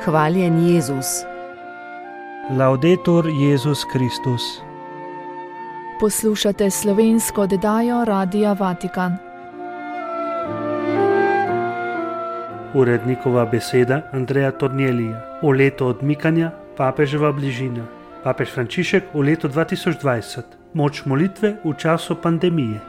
Hvaljen Jezus. Laudetur Jezus Kristus. Poslušate slovensko oddajo Radia Vatikan. Urednikova beseda Andreja Tornielija. V letu odmikanja papeževa bližina. Papež Frančišek v letu 2020. Moč molitve v času pandemije.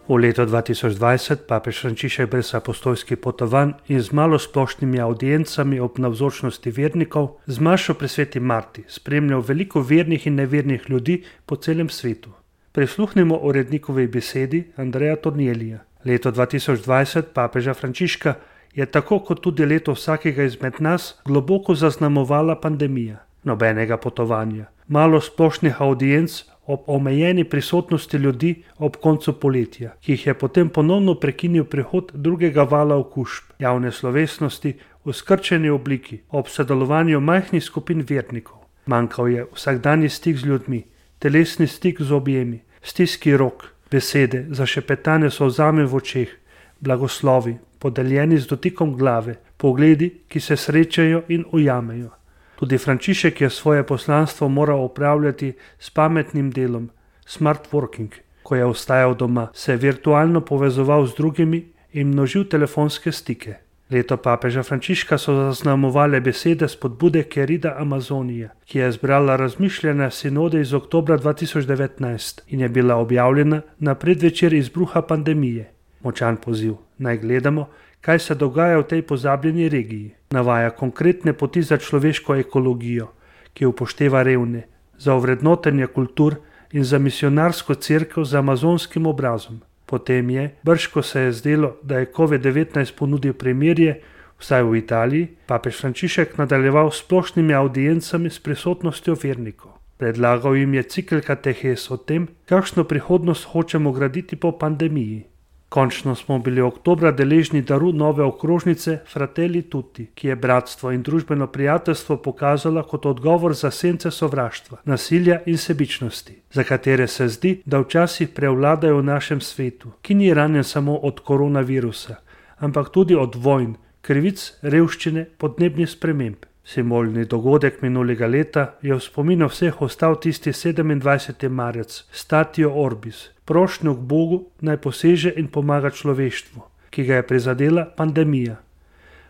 V letu 2020 papež Frančišek brez apostolskih potovanj in z malo splošnimi audiencami ob navzočnosti vernikov z mašo pri Sveti Marti spremljal veliko vernih in nevernih ljudi po celem svetu. Prisluhnimo urednikovi besedi Andreja Tornielija. Leto 2020 papeža Frančiška je tako kot tudi leto vsakega izmed nas globoko zaznamovala pandemija. Nobenega potovanja, malo splošnih audienc ob omejeni prisotnosti ljudi ob koncu poletja, ki jih je potem ponovno prekinil prihod drugega vala okužb, javne slovesnosti v skrčeni obliki ob sodelovanju majhnih skupin vernikov. Manjkal je vsakdanji stik z ljudmi, telesni stik z objemi, stiski rok, besede, zašepetane solzami v očeh, blagoslovi, podeljeni z dotikom glave, pogledi, ki se srečajo in ujamejo. Tudi Frančišek je svoje poslanstvo moral opravljati s pametnim delom, smart working, ko je ostajal doma, se virtualno povezoval z drugimi in množil telefonske stike. Leto papeža Frančiška so zaznamovale besede spodbude Querida Amazonija, ki je zbrala razmišljanja sinode iz oktobra 2019 in je bila objavljena na predvečer izbruha pandemije. Močan poziv, naj gledamo, kaj se dogaja v tej pozabljeni regiji. Navaja konkretne poti za človeško ekologijo, ki upošteva revne, za ovrednotenje kultur in za misionarsko cerkev z amazonskim obrazom. Potem je, brž ko se je zdelo, da je COVID-19 ponudil premirje, vsaj v Italiji, papež Frančišek nadaljeval s splošnimi audiencami s prisotnostjo vernikov. Predlagal jim je cikel katehes o tem, kakšno prihodnost hočemo graditi po pandemiji. Končno smo bili oktobra deležni daru nove okrožnice Fratelli Tutti, ki je bratstvo in družbeno prijateljstvo pokazala kot odgovor za sence sovraštva, nasilja in sebičnosti, za katere se zdi, da včasih prevladajo v našem svetu, ki ni ranjen samo od koronavirusa, ampak tudi od vojn, krivic, revščine, podnebnih sprememb. Simbolni dogodek minulega leta je v spominu vseh ostal tisti 27. marec, Statio Orbis, prošnjo k Bogu naj poseže in pomaga človeštvu, ki ga je prizadela pandemija.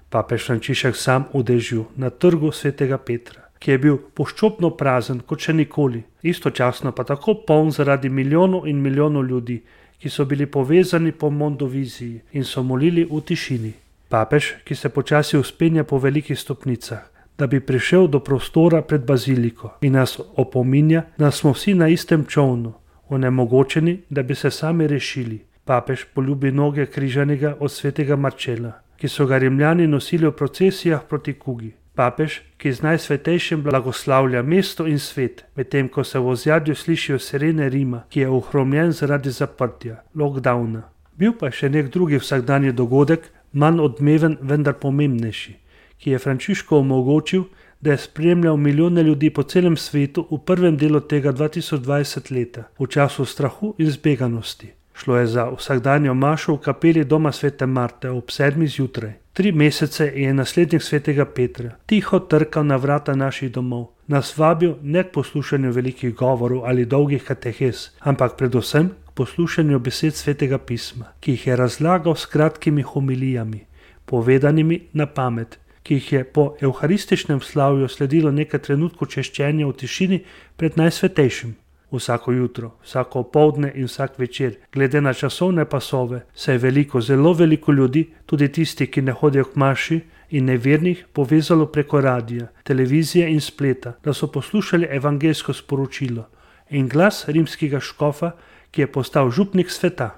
Papež Frančišek sam v dežju na trgu svetega Petra, ki je bil poščopno prazen kot še nikoli, istočasno pa tako poln zaradi milijonov in milijonov ljudi, ki so bili povezani po mondoviziji in so molili v tišini. Papež, ki se počasi vzpenja po velikih stopnicah, da bi prišel do prostora pred baziliko in nas opominja, da smo vsi na istem čolnu, onemogočeni, da bi se sami rešili. Papež poljubi noge križanega od svetega Marčela, ki so ga Rimljani nosili v procesijah proti kugi. Papež, ki z najsvetejšim blagoslavlja mesto in svet, medtem ko se v ozadju slišijo sirene Rima, ki je ohromljen zaradi zaprtja, lockdowna. Bil pa še nek drugi vsakdanji dogodek, manj odmeven, vendar pomembnejši, ki je Frančišku omogočil, da je spremljal milijone ljudi po celem svetu v prvem delu tega 2020 leta, v času strahu in zbeganosti. Šlo je za vsakdanjo mašo v kapeli doma Svete Marte ob 7. zjutraj. 3 mesece je naslednik svetega Petra tiho trkal na vrata naših domov, nas vabil ne k poslušanju velikih govorov ali dolgih katehes, ampak predvsem k poslušanju besed svetega pisma, ki jih je razlagal s kratkimi homilijami, povedanimi na pamet, ki jih je po evharističnem slavju sledilo nekaj trenutkov češčenja v tišini pred najsvetejšim. Vsako jutro, vsako opoldne in vsak večer, glede na časovne pasove, se je veliko, zelo veliko ljudi, tudi tisti, ki ne hodijo k maši in nevernih, povezalo preko radija, televizije in spleta, da so poslušali evangeljsko sporočilo in glas rimskega škofa, ki je postal župnik sveta.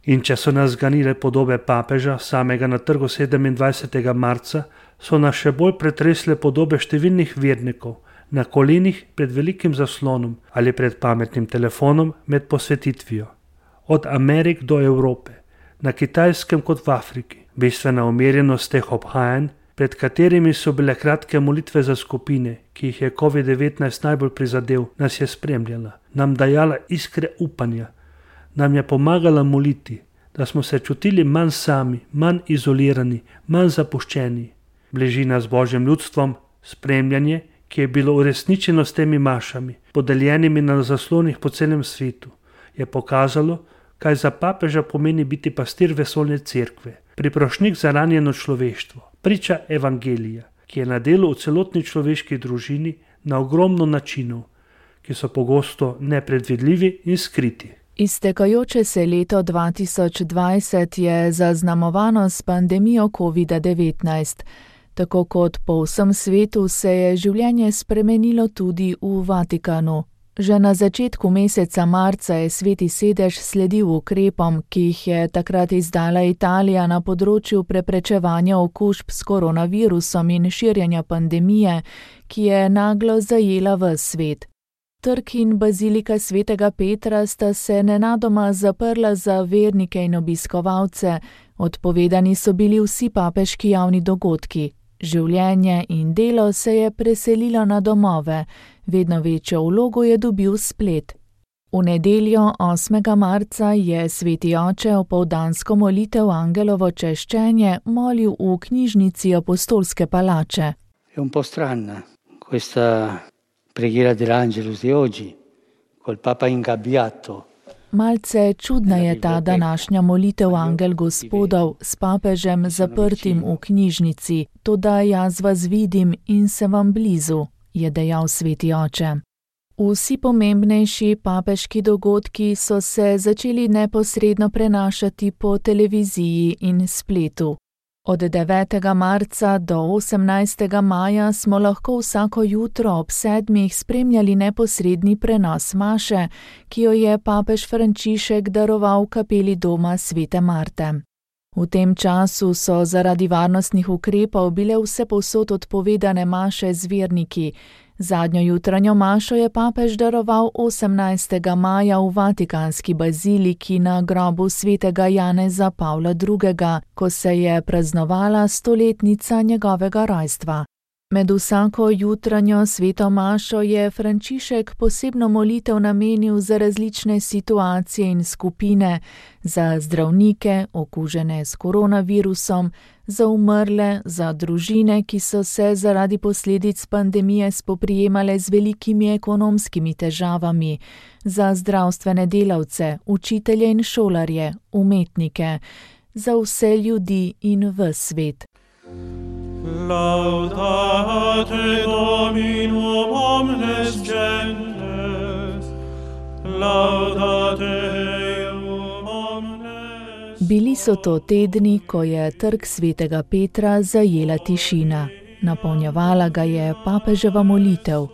In če so nas zganile podobe papeža, samega na trgu 27. marca, so nas še bolj pretresle podobe številnih vernikov, na kolenih pred velikim zaslonom ali pred pametnim telefonom med posvetitvijo. Od Amerik do Evrope, na Kitajskem kot v Afriki, bistvena umirjenost teh obhajanj, pred katerimi so bile kratke molitve za skupine, ki jih je COVID-19 najbolj prizadel, nas je spremljala, nam dajala iskre upanja, nam je pomagala moliti, da smo se čutili manj sami, manj izolirani, manj zapuščeni. bližina z Božjim ljudstvom, spremljanje, ki je bilo uresničeno s temi mašami, podeljenimi na zaslonih po celem svetu, je pokazalo, kaj za papeža pomeni biti pastir vesoljne cerkve, priprošnik za ranjeno človeštvo, priča evangelija, ki je na delu v celotni človeški družini na ogromno načinov, ki so pogosto nepredvidljivi in skriti. Iztekajoče se leto 2020 je zaznamovano s pandemijo COVID-19. Tako kot po vsem svetu se je življenje spremenilo tudi v Vatikanu. Že na začetku meseca marca je Sveti sedež sledil ukrepom, ki jih je takrat izdala Italija na področju preprečevanja okužb s koronavirusom in širjenja pandemije, ki je naglo zajela ves svet. Trg in bazilika Svetega Petra sta se nenadoma zaprla za vernike in obiskovalce, odpovedani so bili vsi papeški javni dogodki. Življenje in delo se je preselilo na domove, vedno večjo vlogo je dobil splet. V nedeljo 8. marca je Sveti oče opoldansko molitev Angelovo češčenje molil v knjižnici Apostolske palače. È un po' strana questa preghiera dell'Angelus di oggi, col Papa ingabbiato. Malce čudna je ta današnja molitev Angel Gospodov s papežem zaprtim v knjižnici, toda jaz vas vidim in sem vam blizu, je dejal Sveti oče. Vsi pomembnejši papeški dogodki so se začeli neposredno prenašati po televiziji in spletu. Od 9. marca do 18. maja smo lahko vsako jutro ob 7. spremljali neposredni prenos maše, ki jo je papež Frančišek daroval v kapeli doma Svete Marte. V tem času so zaradi varnostnih ukrepov bile vsepovsod odpovedane maše z verniki. Zadnjo jutranjo mašo je papež daroval 18. maja v Vatikanski baziliki na grobu svetega Janeza Pavla II., ko se je praznovala 100-letnica njegovega rojstva. Med vsako jutranjo sveto mašo je Frančišek posebno molitev namenil za različne situacije in skupine, za zdravnike, okužene s koronavirusom, za umrle, za družine, ki so se zaradi posledic pandemije spoprijemale z velikimi ekonomskimi težavami, za zdravstvene delavce, učitelje in šolarje, umetnike, za vse ljudi in ves svet. Laudate Dominum omnes gentes, laudate Deum omnes. Bili so to tedni, ko je trg Svetega Petra zajela tišina. Napolnjevala ga je papeževa molitev.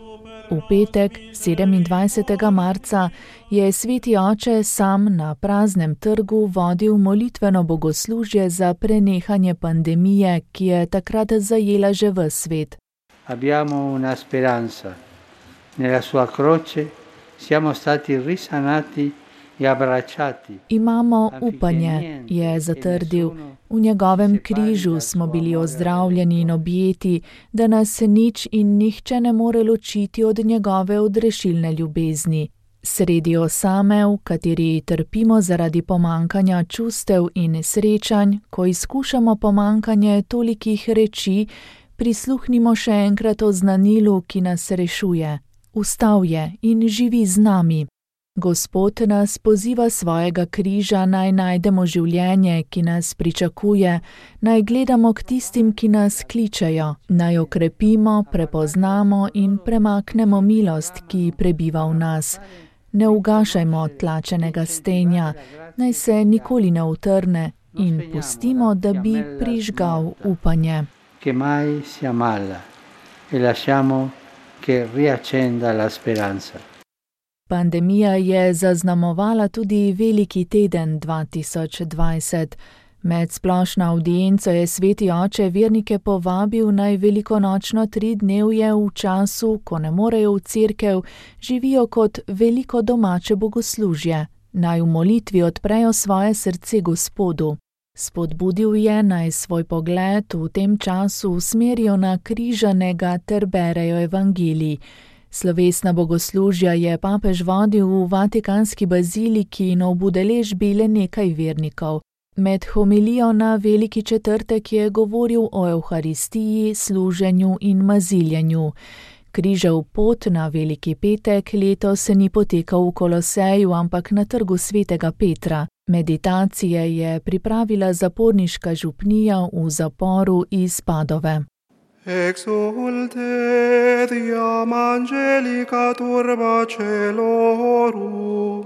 V petek, 27. marca, je Sveti oče sam na praznem trgu vodil molitveno bogoslužje za prenehanje pandemije, ki je takrat zajela že ves svet. Abbiamo una speranza. Nella sua croce siamo stati risanati e abbracciati. Imamo upanje, je zatrdil. V njegovem križu smo bili ozdravljeni in objeti, da nas nič in nihče ne more ločiti od njegove odrešilne ljubezni. Sredi osame, v kateri trpimo zaradi pomankanja čustev in srečanj, ko izkušamo pomankanje tolikih reči, prisluhnimo še enkrat oznanilu, ki nas rešuje. Vstal je in živi z nami. Gospod nas poziva svojega križa, naj najdemo življenje, ki nas pričakuje, naj gledamo k tistim, ki nas kličejo, naj okrepimo, prepoznamo in premaknemo milost, ki prebiva v nas. Ne ugašajmo tlačenega stenja, naj se nikoli ne utrne in pustimo, da bi prižgal upanje. Che mai si ammala e lasciamo che riaccenda la speranza. Pandemija je zaznamovala tudi veliki teden 2020. Med splošno avdienco je Sveti oče vernike povabil, naj velikonočno 3-dnevje v času, ko ne morejo v cerkev, živijo kot veliko domače bogoslužje. Naj v molitvi odprejo svoje srce Gospodu. Spodbudil je, naj svoj pogled v tem času usmerijo na križanega ter berejo evangelij. Slovesna bogoslužja je papež vodil v Vatikanski baziliki in ob udeležbi le nekaj vernikov. Med homilijo na Veliki četrtek je govoril o evharistiji, služenju in maziljenju. Križev pot na Veliki petek letos se ni potekal v Koloseju, ampak na trgu svetega Petra. Meditacije je pripravila zaporniška župnija v zaporu iz Padove. Exulte diam angelica turba celorum,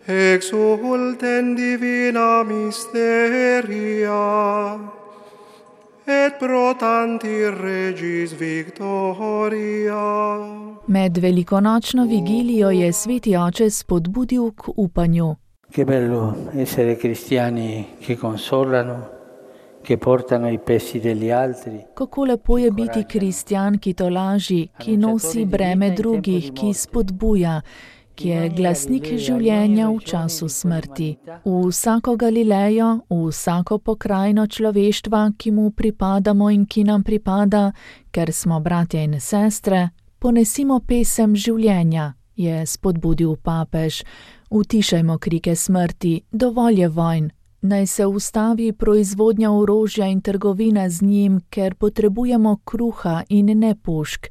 exulte in divina mysteria, et pro tanti regis victoria. Med velikonočno vigilijo je sveti oče spodbudil k upanju. Che bello essere cristiani che consolano, che portano i pesi degli altri. Kako lepo je biti kristjan, ki tolaži, ki nosi breme drugih, ki spodbuja, ki je glasnik življenja v času smrti. V vsako Galilejo, v vsako pokrajino človeštva, ki mu pripadamo in ki nam pripada, ker smo bratje in sestre, ponesimo pesem življenja, je spodbudil papež. Utišajmo krike smrti, dovolj je vojn. Naj se ustavi proizvodnja orožja in trgovina z njim, ker potrebujemo kruha in ne pušk.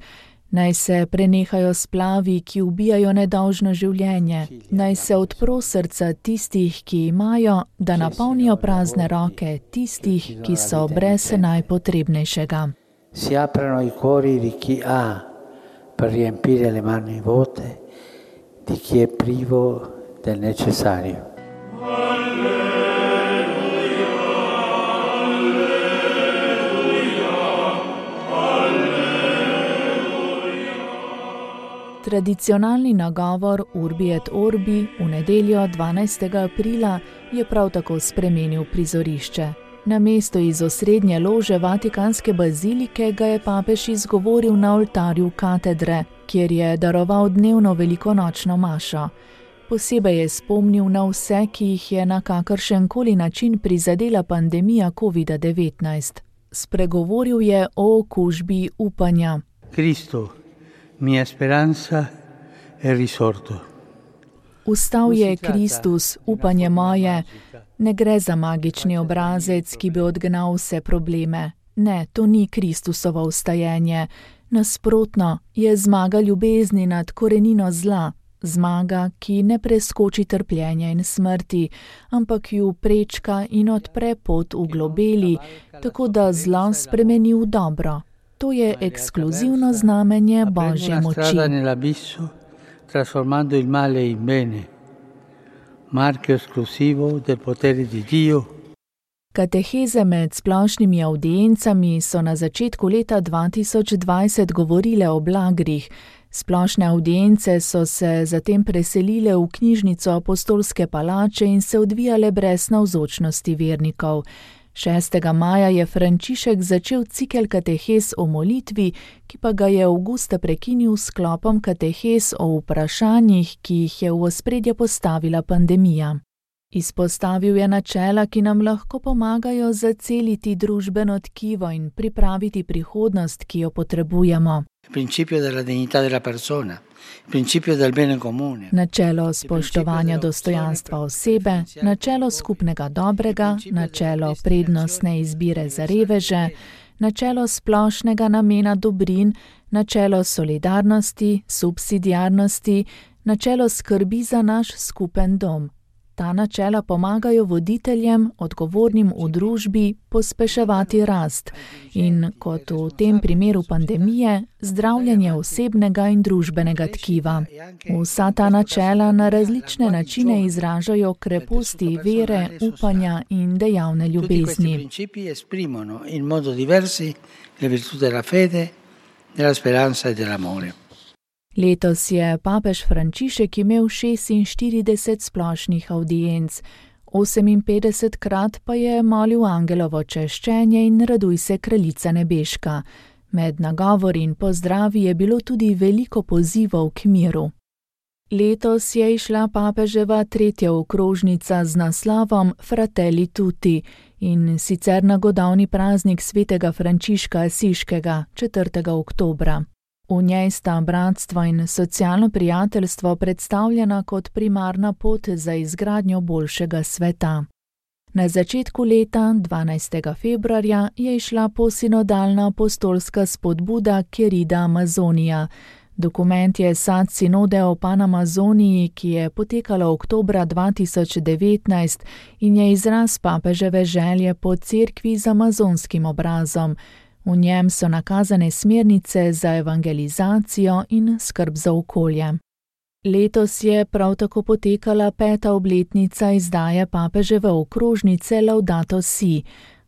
Naj se prenehajo splavi, ki ubijajo nedolžno življenje. Naj se odpro srca tistih, ki imajo, da napolnijo prazne roke tistih, ki so brez najpotrebnejšega. Si aprano i cuori di chi ha per riempire le mani vuote, di chi è privo del necessario. Tradicionalni nagovor Urbi et Orbi v nedeljo 12. aprila je prav tako spremenil prizorišče. Namesto iz osrednje lože Vatikanske bazilike ga je papež izgovoril na oltarju katedre, kjer je daroval dnevno velikonočno mašo. Posebej je spomnil na vse, ki jih je na kakršenkoli način prizadela pandemija COVID-19. Spregovoril je o okužbi upanja. Cristo, mia speranza è risorto. Vstal je Kristus, upanje moje. Ne gre za magični obrazec, ki bi odgnal vse probleme. Ne, to ni Kristusovo vstajenje. Nasprotno, je zmaga ljubezni nad korenino zla. Zmaga, ki ne preskoči trpljenja in smrti, ampak ju prečka in odpre pot v globeli, tako da zlo spremeni v dobro. To je ekskluzivno znamenje Božje moči. Trasformando il male in bene. Marchio esclusivo del potere di Dio. Kateheze med splošnimi avdiencami so na začetku leta 2020 govorile o blagrih. Splošne avdience so se zatem preselile v knjižnico Apostolske palače in se odvijale brez navzočnosti vernikov. 6. maja je Frančišek začel cikel katehez o molitvi, ki pa ga je avgusta prekinil s sklopom katehez o vprašanjih, ki jih je v ospredje postavila pandemija. Izpostavil je načela, ki nam lahko pomagajo zaceliti družbeno tkivo in pripraviti prihodnost, ki jo potrebujemo. Principio della dignità della persona, principio del bene comune. Načelo spoštovanja dostojanstva osebe, načelo skupnega dobrega, načelo prednostne izbire za reveže, načelo splošnega namena dobrin, načelo solidarnosti, subsidiarnosti, načelo skrbi za naš skupen dom. Ta načela pomagajo voditeljem, odgovornim v družbi, pospeševati rast in, kot v tem primeru pandemije, zdravljenje osebnega in družbenega tkiva. Vsa ta načela na različne načine izražajo kreposti vere, upanja in dejavne ljubezni. Principi esprimono in modo diversi le virtù della fede, della speranza e dell'amore. Letos je papež Frančišek imel 46 splošnih avdienc, 58krat pa je molil angelovo češčenje in raduj se kraljica nebeška. Med nagovori in pozdravi je bilo tudi veliko pozivov k miru. Letos je išla papeževa 3. okrožnica z naslovom Fratelli Tutti in sicer na godovni praznik svetega Frančiška Asiškega 4. oktobra. V njej sta bratstvo in socialno prijateljstvo predstavljena kot primarna pot za izgradnjo boljšega sveta. Na začetku leta, 12. februarja, je išla posinodalna apostolska spodbuda Querida Amazonia. Dokument je sad sinode o Panamazoniji, ki je potekala oktobra 2019 in je izraz papeževe želje po cerkvi z amazonskim obrazom. V njem so nakazane smernice za evangelizacijo in skrb za okolje. Letos je prav tako potekala 5. obletnica izdaje papeževe okrožnice Laudato Si.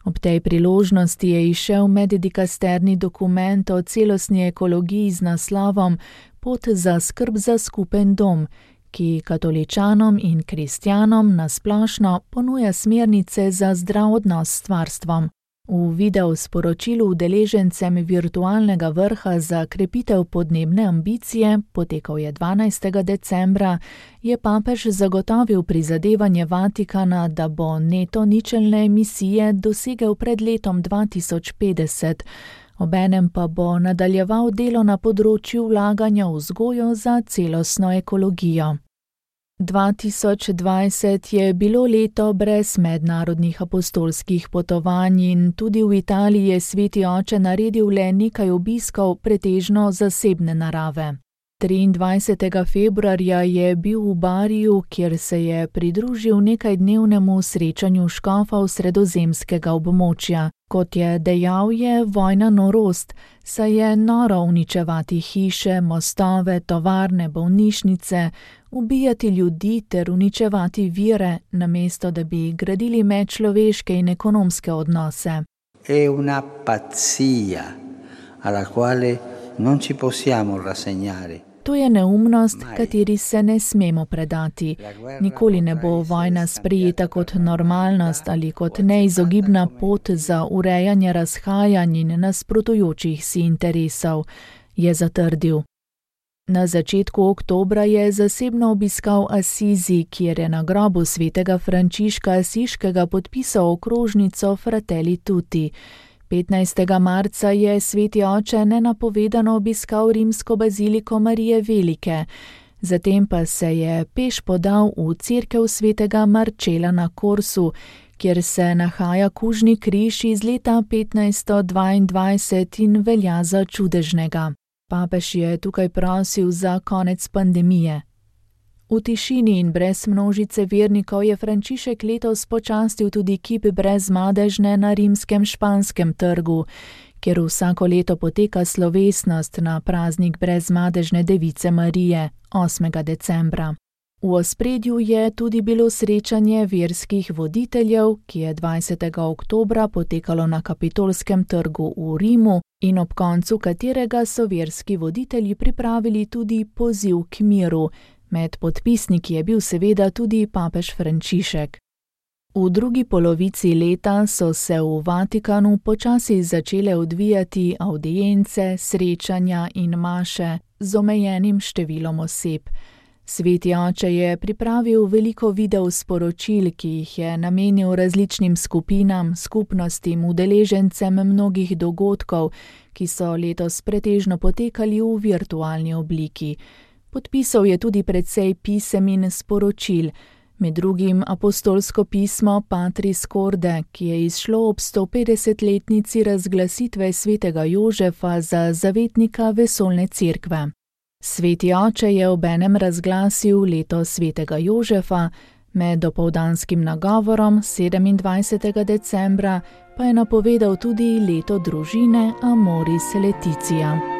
Ob tej priložnosti je izšel meddikasterni dokument o celostni ekologiji z naslovom Pot za skrb za skupen dom, ki katoličanom in kristjanom na splošno ponuja smernice za zdrav odnos s stvarstvom. V video sporočilu udeležencem virtualnega vrha za krepitev podnebne ambicije, potekal je 12. decembra, je papež zagotovil prizadevanje Vatikana, da bo neto ničelne emisije dosegel pred letom 2050, obenem pa bo nadaljeval delo na področju vlaganja v vzgojo za celostno ekologijo. 2020 je bilo leto brez mednarodnih apostolskih potovanj in tudi v Italiji je Sveti oče naredil le nekaj obiskov, pretežno zasebne narave. 23. februarja je bil v Bariju, kjer se je pridružil nekajdnevnemu srečanju škofov sredozemskega območja. Kot je dejal, je vojna norost, saj je noro uničevati hiše, mostove, tovarne, bolnišnice, ubijati ljudi ter uničevati vire, namesto da bi gradili medčloveške in ekonomske odnose. È una pazzia alla quale non ci possiamo rassegnare. To je neumnost, kateri se ne smemo predati. Nikoli ne bo vojna sprejeta kot normalnost ali kot neizogibna pot za urejanje razhajanj in nasprotujočih si interesov, je zatrdil. Na začetku oktobra je zasebno obiskal Asizi, kjer je na grobu svetega Frančiška Asiškega podpisal okrožnico Fratelli Tutti. 15. marca je Sveti oče nenapovedano obiskal rimsko baziliko Marije Velike, zatem pa se je peš podal v cerkev svetega Marčela na Korsu, kjer se nahaja kužni križ iz leta 1522 in velja za čudežnega. Papež je tukaj prosil za konec pandemije. V tišini in brez množice vernikov je Frančišek letos počastil tudi kip Brezmadežne na rimskem Španskem trgu, kjer vsako leto poteka slovesnost na praznik Brezmadežne device Marije, 8. decembra. V ospredju je tudi bilo srečanje verskih voditeljev, ki je 20. oktobra potekalo na Kapitolskem trgu v Rimu in ob koncu katerega so verski voditelji pripravili tudi poziv k miru. Med podpisniki je bil seveda tudi papež Frančišek. V drugi polovici leta so se v Vatikanu počasi začele odvijati avdience, srečanja in maše z omejenim številom oseb. Sveti oče je pripravil veliko video sporočil, ki jih je namenil različnim skupinam, skupnostim, udeležencem mnogih dogodkov, ki so letos pretežno potekali v virtualni obliki. Podpisal je tudi precej pisem in sporočil, med drugim apostolsko pismo Patris Corde, ki je izšlo ob 150-letnici razglasitve svetega Jožefa za zavetnika vesoljne cerkve. Sveti oče je obenem razglasil leto svetega Jožefa, med dopoldanskim nagovorom 27. decembra pa je napovedal tudi leto družine Amoris Laetitia.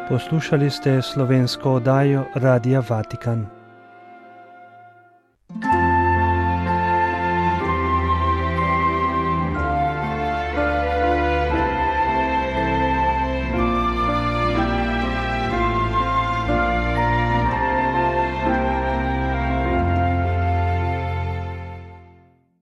Poslušali ste slovensko oddajo Radia Vatikan.